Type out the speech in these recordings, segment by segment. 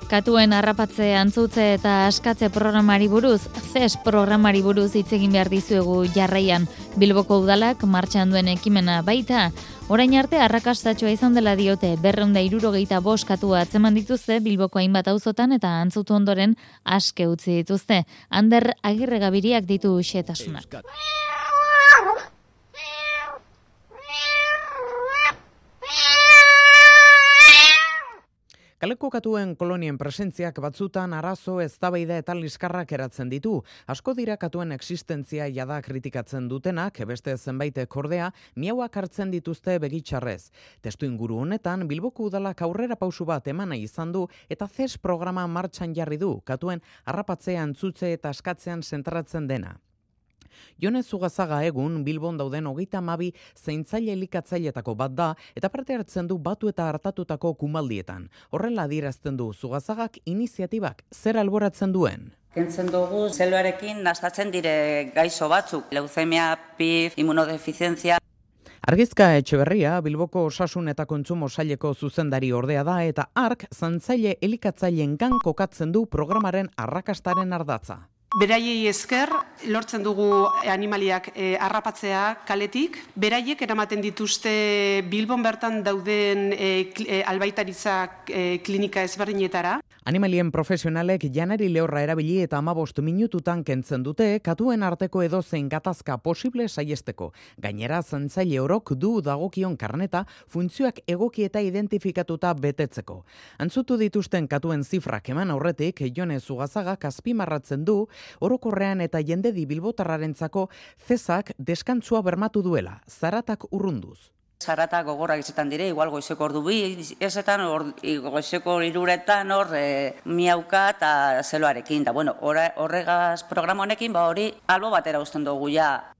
Katuen harrapatze, antzutze eta askatze programari buruz, CES programari buruz hitz egin behar dizuegu jarraian. Bilboko udalak martxan duen ekimena baita. Orain arte arrakastatxoa izan dela diote, 265 katua atzeman dituzte Bilboko hainbat auzotan eta antzutu ondoren aske utzi dituzte. Ander Agirregabiriak ditu xehetasunak. Kaleko katuen kolonien presentziak batzutan arazo, eztabaida eta liskarrak eratzen ditu. Asko dira katuen existentzia jada kritikatzen dutenak, beste zenbaitek ordea, miauak hartzen dituzte begitxarrez. Testu inguru honetan, Bilboko udalak aurrera pausu bat emana izan du eta CES programa martxan jarri du, katuen harrapatzea, antzutze eta askatzean zentratzen dena. Jone Zugazaga egun Bilbon dauden 32 zaintzaile elikatzailetako bat da eta parte hartzen du batu eta hartatutako kumaldietan. Horrela adierazten du Zugazagak iniziatibak zer alboratzen duen. Kentzen dugu zeluarekin nastatzen dire gaixo batzuk, leuzemia, PIF, immunodefizientzia. Argizka Etxeberria Bilboko Osasun eta Kontsumo Saileko zuzendari ordea da eta hark zaintzaile elikatzailengan kokatzen du programaren arrakastaren ardatza. Beraiei esker, lortzen dugu animaliak harrapatzea kaletik. Beraiek eramaten dituzte Bilbon bertan dauden albaitaritza klinika ezberdinetara. Animalien profesionalek janari lehorra erabili eta 15 minututan kentzen dute katuen arteko edozein gatazka posible saiesteko. Gainera, zaintzaile orok du dagokion karneta funtzioak egoki eta identifikatuta betetzeko. Antzutu dituzten katuen zifrak eman aurretik, Jone Zugazagak azpimarratzen du, orokorrean eta jendedi bilbotarrarentzako CESak deskantzua bermatu duela, zaratak urrunduz. Zaratak gogorrak izetan dire, igual goizeko ordu bi, ezetan goizeko 3etan miauka eta zeloarekin. Da, bueno, horregaz programa honekin, hori albo batera uzten dugu ja.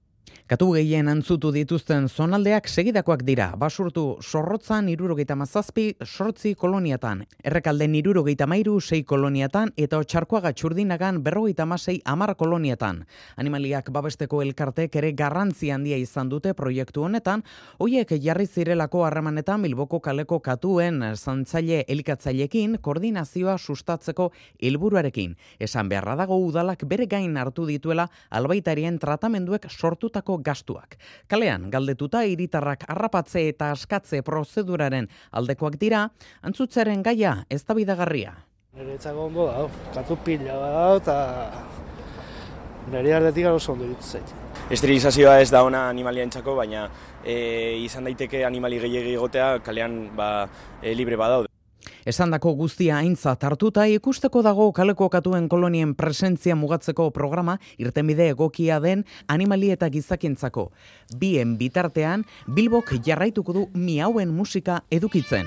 Katu gehien antzutu dituzten zonaldeak segidakoak dira. Basurtu Zorrotzan 77, 8 koloniatan. Errekalden 73, 6 koloniatan eta Otxarkoaga Txurdinagan 56, 10 koloniatan. Animaliak babesteko elkartek ere garrantzi handia izan dute proiektu honetan, hoiek jarri zirelako harremanetan Bilboko kaleko katuen zaintzaile elikatzailekin koordinazioa sustatzeko helburuarekin. Esan beharra dago udalak bere gain hartu dituela albaitarien tratamenduek sortutako gastuak. Kalean galdetuta hiritarrak harrapatze eta askatze prozeduraren aldekoak dira, antzutzaren gaia eztabaidagarria. Niretzako ondo da, katu pila da eta nire aldetik oso ondo iruditzen zait. Esterilizazioa ez da ona animalientzako, baina izan daiteke animali gehiegi egotea kalean libre badaude. Esandako guztia aintzat hartuta ikusteko dago kaleko katuen kolonien presentzia mugatzeko programa irtenbide egokia den animali eta gizakientzako. Bien bitartean Bilbok jarraituko du miauen musika edukitzen.